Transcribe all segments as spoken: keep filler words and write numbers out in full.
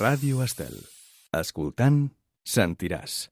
Ràdio Estel. Escoltant, sentiràs.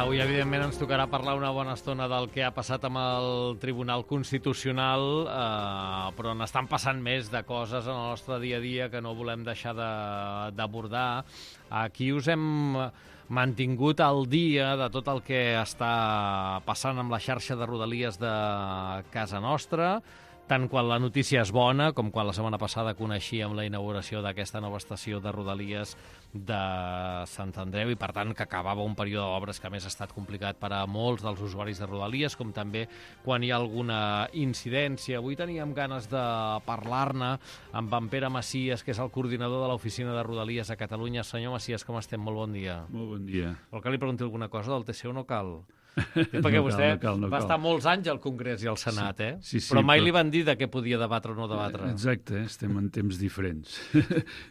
Avui, evidentment, ens tocarà parlar una bona estona del que ha passat amb el Tribunal Constitucional, eh, però n'estan passant més de coses en el nostre dia a dia que no volem deixar d'abordar. Aquí us hem mantingut al dia de tot el que està passant amb la xarxa de Rodalies de casa nostra, tant quan la notícia és bona com quan la setmana passada coneixíem la inauguració d'aquesta nova estació de Rodalies de Sant Andreu i, per tant, que acabava un període d'obres que, a més, ha estat complicat per a molts dels usuaris de Rodalies, com també quan hi ha alguna incidència. Avui teníem ganes de parlar-ne amb en Pere Macias, que és el coordinador de l'oficina de Rodalies a Catalunya. Senyor Macias, com estem? Molt bon dia. Molt bon dia. Vol que li pregunti alguna cosa del T C o no cal? Perquè no vostè cal, no cal, no va cal. estar molts anys al Congrés i al Senat, eh? Sí, sí, però mai però... li van dir de què podia debatre o no debatre. Exacte, estem en temps diferents.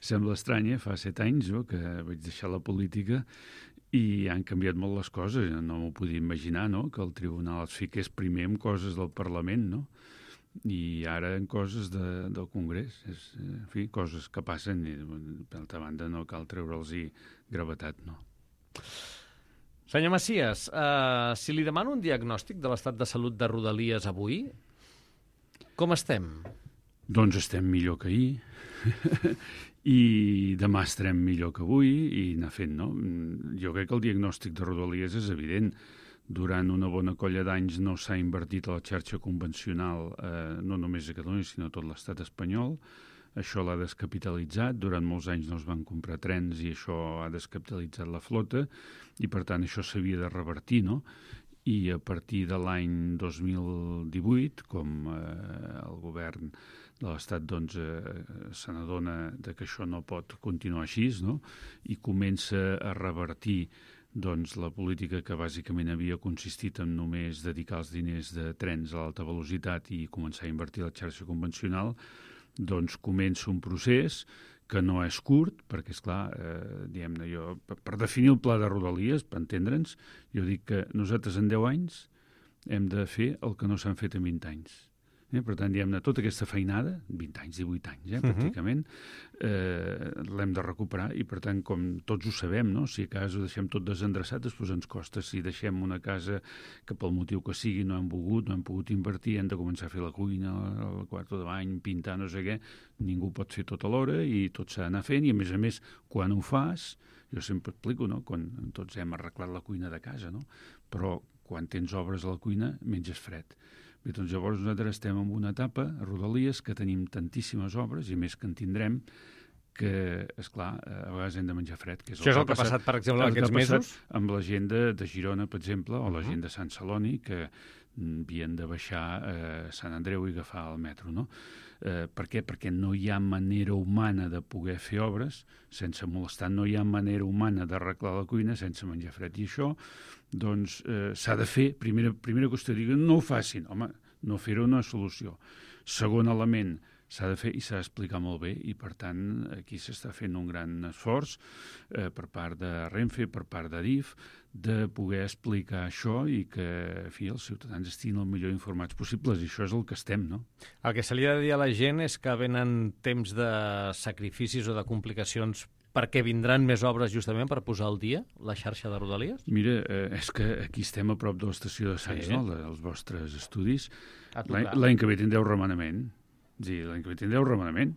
Sembla estrany, eh? Fa set anys jo, que vaig deixar la política i han canviat molt les coses. No m'ho podia imaginar, no?, que el tribunal es fiqués primer en coses del Parlament, no?, i ara en coses de, del Congrés. És, en fi, coses que passen i, per altra banda, no cal treure'ls-hi gravetat, no. Senyor Macias, uh, si li demano un diagnòstic de l'estat de salut de Rodalies avui, com estem? Doncs estem millor que ahir i demà estarem millor que avui i anar fent, no? Jo crec que el diagnòstic de Rodalies és evident. Durant una bona colla d'anys no s'ha invertit a la xarxa convencional, eh, no només a Catalunya, sinó a tot l'estat espanyol. Això l'ha descapitalitzat, durant molts anys no es van comprar trens i això ha descapitalitzat la flota i per tant això s'havia de revertir, no? I a partir de l'any dos mil divuit, com eh, el govern de l'Estat doncs, eh, se n'adona que això no pot continuar així, no? I comença a revertir doncs, la política que bàsicament havia consistit en només dedicar els diners de trens a l'alta velocitat i començar a invertir la xarxa convencional, doncs comença un procés que no és curt, perquè, esclar, eh, diguem-ne, jo, per, per definir el pla de Rodalies, per entendre'ns, jo dic que nosaltres en deu anys hem de fer el que no s'han fet en vint anys. Eh? Per tant, diguem-ne, tota aquesta feinada, vint anys, divuit anys, eh, pràcticament, eh, l'hem de recuperar i, per tant, com tots ho sabem, no? Si a casa ho deixem tot desendreçat, després ens costa. Si deixem una casa que pel motiu que sigui no hem volgut, no hem pogut invertir, hem de començar a fer la cuina, el quarto de bany, pintar, no sé què, ningú pot fer tot alhora i tot s'ha d'anar fent i, a més a més, quan ho fas, jo sempre explico, no?, quan tots hem arreglat la cuina de casa, no?, però quan tens obres a la cuina menges fred. Bé, doncs llavors nosaltres estem en una etapa a Rodalies que tenim tantíssimes obres i més que en tindrem que, esclar, a vegades hem de menjar fred. Que és Això és el que ha passat, per exemple, aquests mesos? Amb la gent de, de Girona, per exemple, o la gent de Sant Celoni, que havien de baixar a Sant Andreu i agafar el metro, no? Eh, per què? Perquè no hi ha manera humana de poder fer obres sense molestar, no hi ha manera humana d'arreglar la cuina sense menjar fred. I això, doncs, eh, s'ha de fer. Primera, primera qüestió, diguen, no ho facin. Home, no fer-ho una solució. Segon element, s'ha de fer i s'ha d'explicar molt bé i, per tant, aquí s'està fent un gran esforç eh, per part de Renfe, per part d'Adif, de poder explicar això i que, en fi, els ciutadans estiguin el millor informats possibles, i això és el que estem, no? El que se li ha de dir a la gent és que venen temps de sacrificis o de complicacions perquè vindran més obres justament per posar al dia la xarxa de Rodalies? Mira, eh, és que aquí estem a prop de l'estació de Sants, sí, no?, dels vostres estudis. L'any l'any que ve tindreu remenament. Sí, l'any que ve tindreu remenament.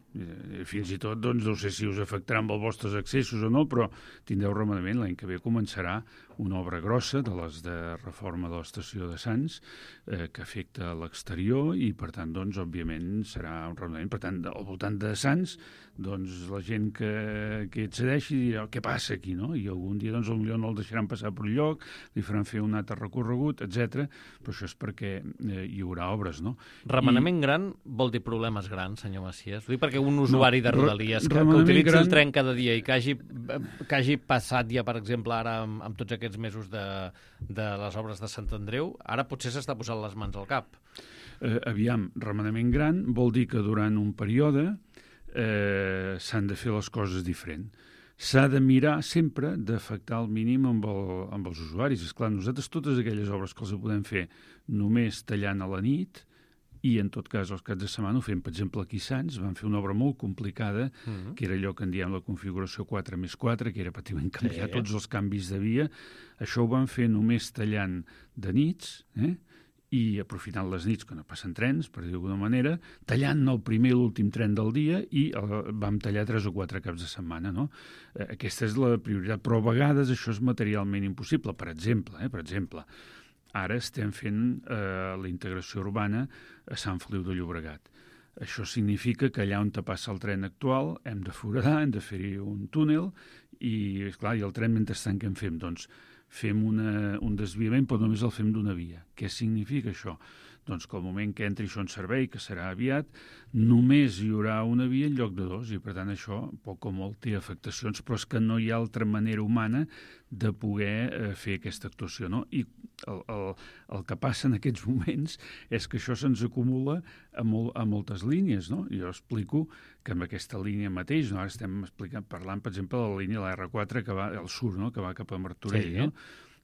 Fins i tot, doncs, no sé si us afectarà amb els vostres accessos o no, però tindreu remenament. L'any que ve començarà una obra grossa de les de reforma de l'estació de Sants eh, que afecta l'exterior i, per tant, doncs, òbviament, serà un remenament. Per tant, al voltant de Sants, doncs, la gent que, que accedeixi dirà què passa aquí, no? I algun dia, doncs, potser no el deixaran passar per un lloc, li faran fer un altre recorregut, etcètera. Però això és perquè eh, hi haurà obres, no? Remenament I... gran vol dir problemes grans, senyor Macias? Ho dic perquè un usuari no, de Rodalies que, que remenament utilitzi gran... el tren cada dia i que hagi, que hagi passat ja, per exemple, ara amb, amb tots aquests aquests mesos de, de les obres de Sant Andreu, ara potser s'està posant les mans al cap. Eh, aviam, remenament gran vol dir que durant un període eh, s'han de fer les coses diferent. S'ha de mirar sempre d'afectar al mínim amb, el, amb els usuaris. Esclar, nosaltres totes aquelles obres que els podem fer només tallant a la nit, i en tot cas els caps de setmana ho fem. Per exemple, aquí a Sants van fer una obra molt complicada, uh-huh. que era allò que en diem la configuració quatre més quatre, que era pràcticament canviar sí. tots els canvis de via. Això ho van fer només tallant de nits, eh? i aprofitant les nits, que no passen trens, per dir d'alguna manera, tallant el primer i l'últim tren del dia i el, vam tallar tres o quatre caps de setmana. No? Eh, aquesta és la prioritat, però a vegades això és materialment impossible. Per exemple, eh, per exemple ara estem fent eh, la integració urbana a Sant Feliu de Llobregat. Això significa que allà on te passa el tren actual hem de foradar, hem de fer-hi un túnel i, esclar, i el tren mentrestant què en fem? Doncs fem una, un desviament, però només el fem d'una via. Què significa això? Doncs que al moment que entri això en servei, que serà aviat, només hi haurà una via en lloc de dos, i per tant això, poc o molt, té afectacions, però és que no hi ha altra manera humana de poder eh, fer aquesta actuació. No? I el, el, el que passa en aquests moments és que això se'ns acumula a, mol, a moltes línies. No? Jo explico que amb aquesta línia mateix, no? Ara estem explicant, parlant, per exemple, de la línia de la erre quatre que va al sud, no? Que va cap a Martorell, sí, no?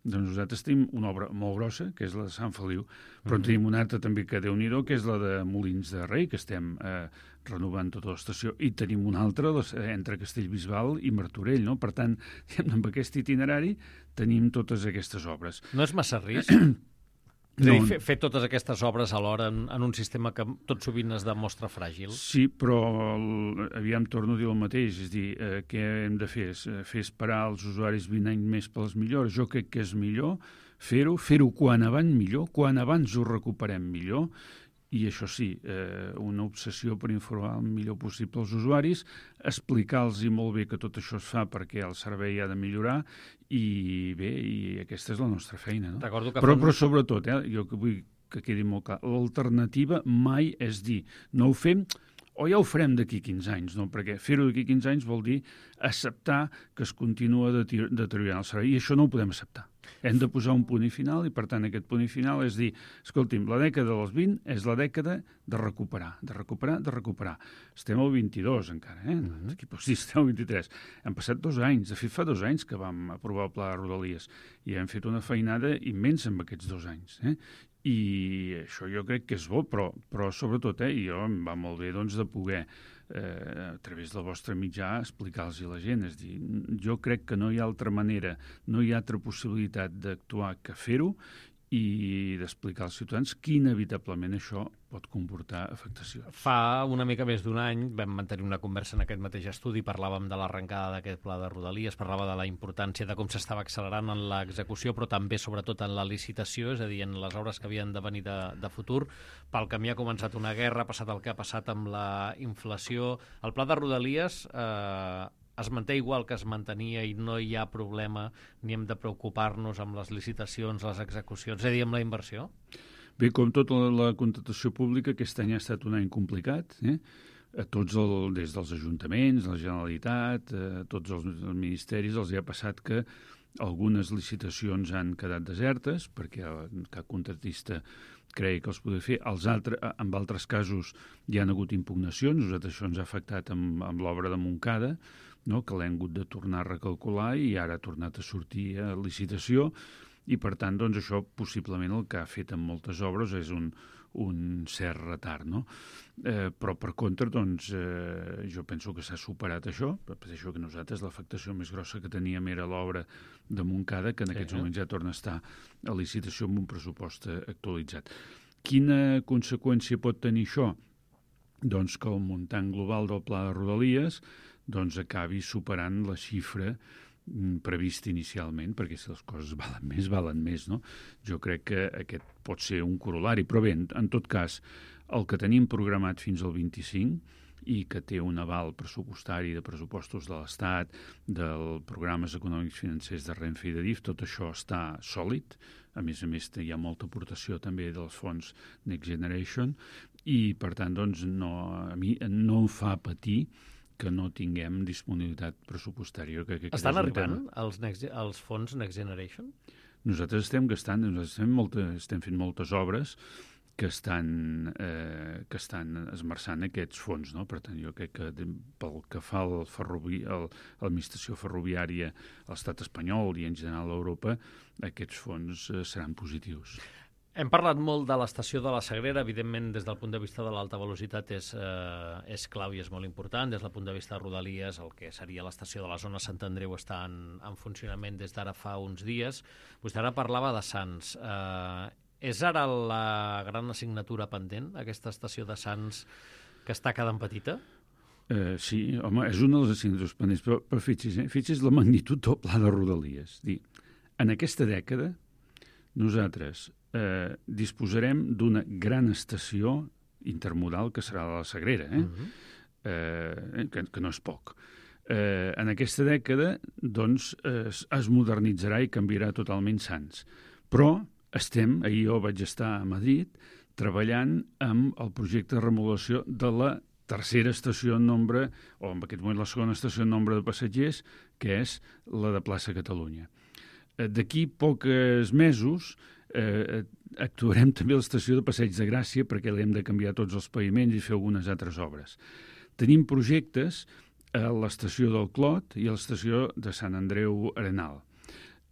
Doncs nosaltres tenim una obra molt grossa, que és la de Sant Feliu, però uh-huh. tenim una altra també que Déu-n'hi-do, que és la de Molins de Rei, que estem eh, renovant tota l'estació, i tenim una altra les, eh, entre Castellbisbal i Martorell, no? Per tant, amb aquest itinerari tenim totes aquestes obres. No és massa risc? No. Fer, fer totes aquestes obres alhora en, en un sistema que tot sovint es demostra fràgil? Sí, però el, aviam torno a dir el mateix, és dir, eh, què hem de fer? Fer esperar els usuaris vint anys més per les millores? Jo crec que és millor fer-ho, fer-ho quan abans millor, quan abans ho recuperem millor, i això sí, eh, una obsessió per informar el millor possible als usuaris, explicar-los molt bé que tot això es fa perquè el servei ha de millorar, i bé, i aquesta és la nostra feina. No? Recordo que però, fan... però sobretot, eh, jo que vull que quedi molt clar, l'alternativa mai és dir, no ho fem o ja ho farem d'aquí quinze anys, no? Perquè fer-ho d'aquí quinze anys vol dir acceptar que es continua deteriorant el servei, i això no ho podem acceptar. Hem de posar un punt i final, i per tant aquest punt i final és dir, escolti'm, la dècada dels vint és la dècada de recuperar, de recuperar, de recuperar. Estem al vint-i-dos encara, eh? Mm-hmm. Aquí pots dir, estem al vint-i-tres. Hem passat dos anys, de fet fa dos anys que vam aprovar el Pla de Rodalies, i hem fet una feinada immensa en aquests dos anys, eh? I això jo crec que és bo, però, però sobretot, eh, i jo em va molt bé doncs, de poder, eh, a través del vostre mitjà, explicar-los a la gent. És dir, jo crec que no hi ha altra manera, no hi ha altra possibilitat d'actuar que fer-ho i d'explicar als ciutadans que inevitablement això pot comportar afectacions. Fa una mica més d'un any vam mantenir una conversa en aquest mateix estudi, parlàvem de l'arrencada d'aquest pla de Rodalies, parlava de la importància de com s'estava accelerant en l'execució, però també, sobretot, en la licitació, és a dir, en les obres que havien de venir de, de futur. Pel camí ha començat una guerra, ha passat el que ha passat amb la inflació. El pla de Rodalies eh, es manté igual que es mantenia i no hi ha problema ni hem de preocupar-nos amb les licitacions, les execucions, és a dir, amb la inversió? Bé, com tota la, la contractació pública, aquest any ha estat un any complicat, eh? A tots, el, des dels ajuntaments, la Generalitat, a tots els, els ministeris, els hi ha passat que algunes licitacions han quedat desertes perquè cap contractista creia que els podia fer. Els altres, en altres casos hi han hagut impugnacions. Nosaltres això ens ha afectat amb, amb l'obra de Montcada, no? Que l'hem hagut de tornar a recalcular i ara ha tornat a sortir a licitació, i per tant doncs, això possiblement el que ha fet en moltes obres és un, un cert retard. No? Eh, però per contra doncs, eh, jo penso que s'ha superat això. Penso que nosaltres l'afectació més grossa que teníem era l'obra de Montcada, que en aquests sí, moments ja torna a estar a licitació amb un pressupost actualitzat. Quina conseqüència pot tenir això? Doncs que el muntant global del Pla de Rodalies doncs acabi superant la xifra previst inicialment, perquè si les coses valen més, valen més, no? Jo crec que aquest pot ser un corolari, però bé, en, en tot cas, el que tenim programat fins al vint-i-cinc i que té un aval pressupostari de pressupostos de l'Estat, dels programes econòmics financers de Renfe i de D I F, tot això està sòlid. A més a més, hi ha molta aportació també dels fons Next Generation i, per tant, doncs, no, a mi no em fa patir que no tinguem disponibilitat pressupostària. Que, que Estan arribant els, next, els fons Next Generation? Nosaltres estem gastant, nosaltres estem, molta, estem fent moltes obres que estan, eh, que estan esmerçant aquests fons, no? Per tant, jo crec que pel que fa al ferrovi, al, a l'administració ferroviària a l'estat espanyol i en general a Europa, aquests fons eh, seran positius. Hem parlat molt de l'estació de la Sagrera, evidentment des del punt de vista de l'alta velocitat és, eh, és clau i és molt important, des del punt de vista de Rodalies, el que seria l'estació de la zona Sant Andreu està en, en funcionament des d'ara fa uns dies. Vostè ara parlava de Sants. Eh, és ara la gran assignatura pendent, aquesta estació de Sants que està quedant petita? Eh, sí, home, és una de les assignatures pendents, però, però fixi's, eh? fixi's la magnitud del pla de Rodalies. Dir, en aquesta dècada nosaltres eh, disposarem d'una gran estació intermodal que serà la Sagrera, eh? Uh-huh. eh, que, que no és poc. Eh, en aquesta dècada doncs, es, es modernitzarà i canviarà totalment Sants. Però estem, ahir jo vaig estar a Madrid, treballant amb el projecte de remodelació de la tercera estació en nombre, o en aquest moment la segona estació en nombre de passatgers, que és la de Plaça Catalunya. D'aquí pocs mesos eh, actuarem també a l'estació de Passeig de Gràcia perquè l'hem de canviar tots els paviments i fer algunes altres obres. Tenim projectes a l'estació del Clot i a l'estació de Sant Andreu Arenal.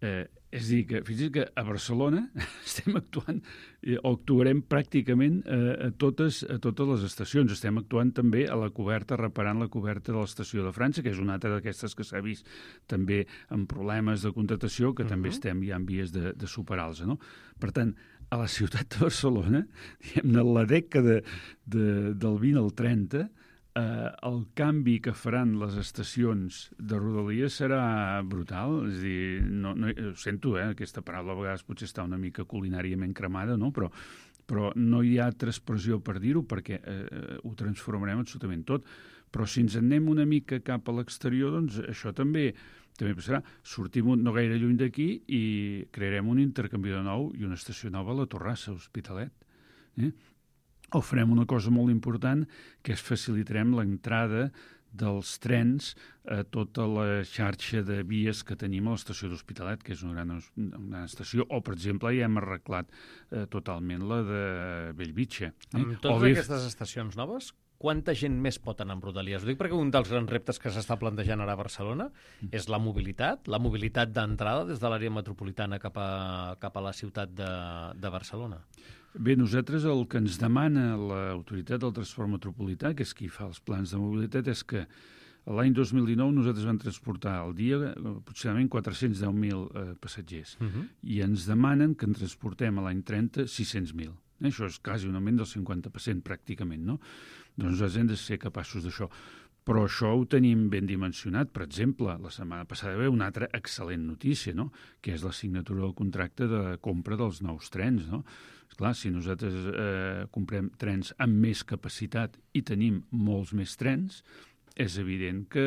Eh, és a dir, que fins i tot que a Barcelona estem actuant eh, o actuarem pràcticament eh, a, totes, a totes les estacions. Estem actuant també a la coberta, reparant la coberta de l'estació de França, que és una altra d'aquestes que s'ha vist també amb problemes de contractació, que uh-huh. també estem ja en vies de, de superar-los. No? Per tant, a la ciutat de Barcelona, diguem-ne, la dècada de, del vint al trenta, Uh, el canvi que faran les estacions de Rodalies serà brutal. És a dir, no, no, ho sento, eh, aquesta paraula a vegades potser està una mica culinàriament cremada, no? però, però no hi ha altra expressió per dir-ho perquè eh, ho transformarem absolutament tot. Però si ens anem una mica cap a l'exterior, doncs això també també passarà. Sortim no gaire lluny d'aquí i crearem un intercanviador nou i una estació nova a la Torrassa, a Hospitalet. Eh? O farem una cosa molt important, que és facilitarem l'entrada dels trens a tota la xarxa de vies que tenim a l'estació d'Hospitalet, que és una gran, una gran estació, o, per exemple, ja hem arreglat eh, totalment la de Bellvitge. Eh? Amb totes bé... aquestes estacions noves, quanta gent més pot anar amb Rodalies? Ho dic perquè un dels grans reptes que s'està plantejant ara a Barcelona és la mobilitat, la mobilitat d'entrada des de l'àrea metropolitana cap a, cap a la ciutat de, de Barcelona. Bé, nosaltres el que ens demana l'Autoritat del Transport Metropolità, que és qui fa els plans de mobilitat, és que l'any dos mil dinou nosaltres vam transportar al dia aproximadament quatre-cents deu mil eh, passatgers uh-huh. i ens demanen que en transportem a l'any trenta sis-cents mil. Eh? Això és quasi un augment del cinquanta per cent pràcticament, no? Doncs nosaltres hem de ser capaços d'això. Però això ho tenim ben dimensionat. Per exemple, la setmana passada va haver una altra excel·lent notícia, no? Que és la signatura del contracte de compra dels nous trens, no? Esclar, si nosaltres eh, comprem trens amb més capacitat i tenim molts més trens, és evident que,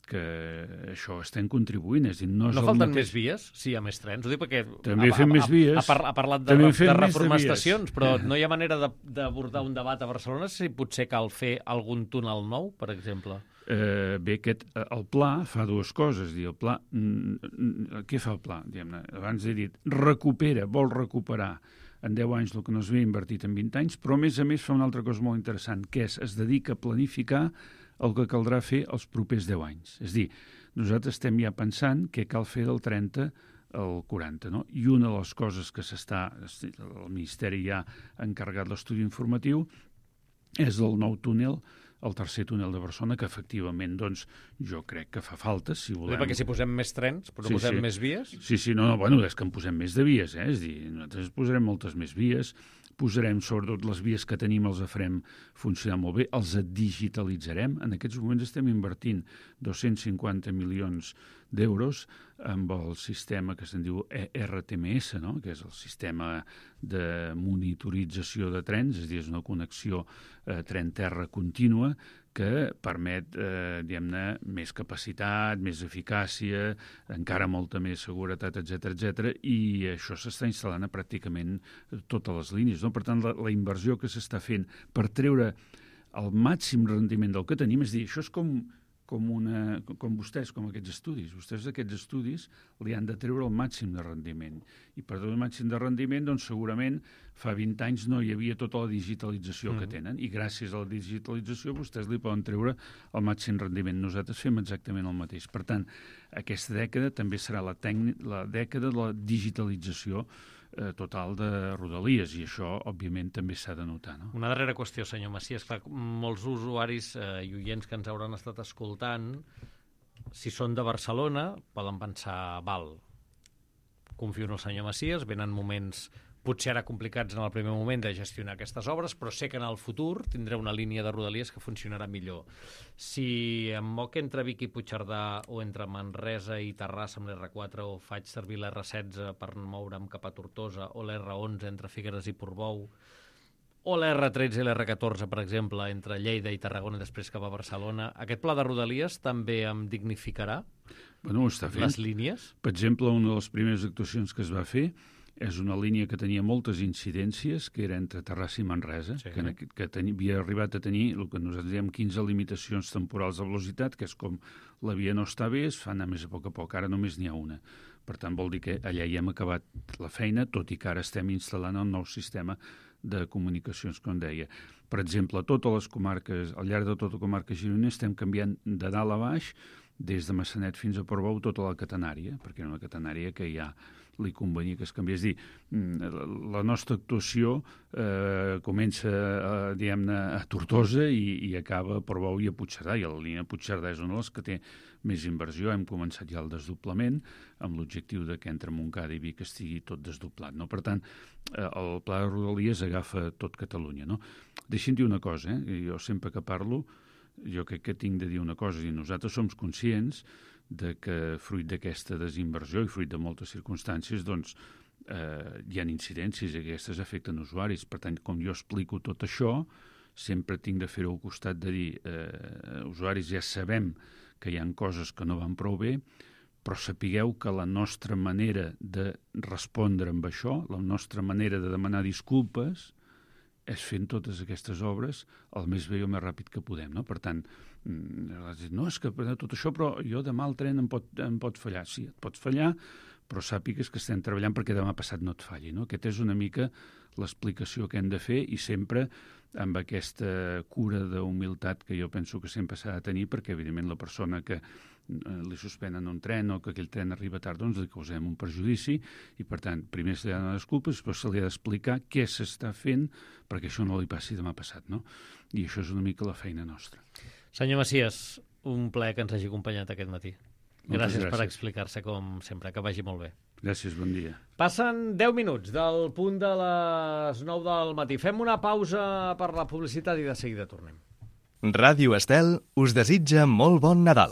que això estem contribuint. És dir, no és no falten mateix... més vies si hi ha més trens? Ho dic perquè també ha, fem ha, més vies. Ha, ha, ha parlat de, de reformar de estacions, però no hi ha manera d'abordar un debat a Barcelona si potser cal fer algun túnel nou, per exemple. Eh, bé, aquest, el pla fa dues coses. Dir, el pla, mm, què fa el pla? Diguem-ne, abans he dit, recupera, vol recuperar en deu anys el que no s'havia invertit en vint anys, però a més a més fa una altra cosa molt interessant, que és es dedica a planificar el que caldrà fer els propers deu anys. És a dir, nosaltres estem ja pensant què cal fer del trenta al quaranta, no? I una de les coses que s'està, el Ministeri ja ha encarregat l'estudi informatiu, és el nou túnel, el tercer túnel de Barcelona, que efectivament, doncs, jo crec que fa falta, si volem... Perquè si posem més trens, però sí, posem sí. més vies... Sí, sí, no, no, bueno, és que en posem més de vies, eh? És dir, nosaltres posarem moltes més vies, posarem, sobretot, les vies que tenim, els farem funcionar molt bé, els digitalitzarem. En aquests moments estem invertint dos-cents cinquanta milions d'euros amb el sistema que se'n diu R T M S, no? Que és el sistema de monitorització de trens, és a dir, és una connexió eh, tren-terra contínua que permet, eh, diguem-ne, més capacitat, més eficàcia, encara molta més seguretat, etcètera, etcètera, i això s'està instal·lant a pràcticament totes les línies, no? Per tant, la, la inversió que s'està fent per treure el màxim rendiment del que tenim, és dir, això és com, com, una, com vostès, com aquests estudis. Vostès aquests estudis li han de treure el màxim de rendiment. I per treure el màxim de rendiment, doncs segurament fa vint anys no hi havia tota la digitalització mm. que tenen, i gràcies a la digitalització vostès li poden treure el màxim rendiment. Nosaltres fem exactament el mateix. Per tant, aquesta dècada també serà la, tècnic, la dècada de la digitalització eh, total de Rodalies, i això, òbviament, també s'ha de notar. No? Una darrera qüestió, senyor Macias. Clar, molts usuaris eh, i oients que ens hauran estat escoltant, si són de Barcelona, poden pensar, val, confio en el senyor Macias, venen moments potser ara complicats en el primer moment de gestionar aquestes obres, però sé que en el futur tindré una línia de Rodalies que funcionarà millor. Si em moc entre Vic i Puigcerdà o entre Manresa i Terrassa amb l'erre quatre, o faig servir l'erre setze per moure'm cap a Tortosa, o l'erre onze entre Figueres i Portbou, o l'erre tretze i l'erre catorze, per exemple, entre Lleida i Tarragona i després cap a Barcelona, aquest pla de Rodalies també em dignificarà bueno, ho està fent. Les línies? Per exemple, una de les primeres actuacions que es va fer és una línia que tenia moltes incidències, que era entre Terrassa i Manresa, sí. que, que, que tenia, havia arribat a tenir el que nosaltres diem quinze limitacions temporals de velocitat, que és com la via no està bé, es fa anar més a poc a poc, ara només n'hi ha una. Per tant, vol dir que allà hi hem acabat la feina, tot i que ara estem instal·lant el nou sistema de comunicacions, com deia. Per exemple, a totes les comarques, al llarg de tota la comarca gironina, estem canviant de dalt a baix, des de Massanet fins a Portbou, tota la catenària, perquè era una catenària que ja li convenia que es canviés. És dir, la nostra actuació eh, comença a, diguem-ne, a Tortosa i, i acaba a Portbou i a Puigcerdà, i la línia Puigcerdà és una de les que té més inversió. Hem començat ja el desdoblament amb l'objectiu de que entre Montcada i Vic estigui tot desdoblat. No? Per tant, eh, el pla de Rodalies agafa tot Catalunya. No? Deixi'm dir una cosa, eh? Jo sempre que parlo, jo crec que tinc de dir una cosa, i nosaltres som conscients de que fruit d'aquesta desinversió i fruit de moltes circumstàncies, doncs, eh, hi ha incidències i aquestes afecten usuaris. Per tant, com jo explico tot això, sempre tinc de fer-ho al costat de dir eh, usuaris, ja sabem que hi ha coses que no van prou bé, però sapigueu que la nostra manera de respondre amb això, la nostra manera de demanar disculpes, és fent totes aquestes obres el més bé i el més ràpid que podem. No? Per tant, no, és que tot això, però jo demà el tren em pot, em pot fallar. Sí, et pot fallar, però sàpigues que estem treballant perquè demà passat no et falli. No? Aquesta és una mica l'explicació que hem de fer, i sempre amb aquesta cura d'humilitat que jo penso que sempre s'ha de tenir, perquè evidentment la persona que li suspenen un tren o que aquell tren arriba tard, doncs li causem un perjudici, i per tant, primer se li ha de donar disculpes, però se li ha d'explicar què s'està fent perquè això no li passi demà passat, no? I això és una mica la feina nostra. Senyor Macias, un plaer que ens hagi acompanyat aquest matí. Gràcies, gràcies per explicar-se, com sempre. Que vagi molt bé. Gràcies, bon dia. Passen deu minuts del punt de les nou del matí. Fem una pausa per la publicitat i de seguida tornem. Ràdio Estel us desitja molt bon Nadal.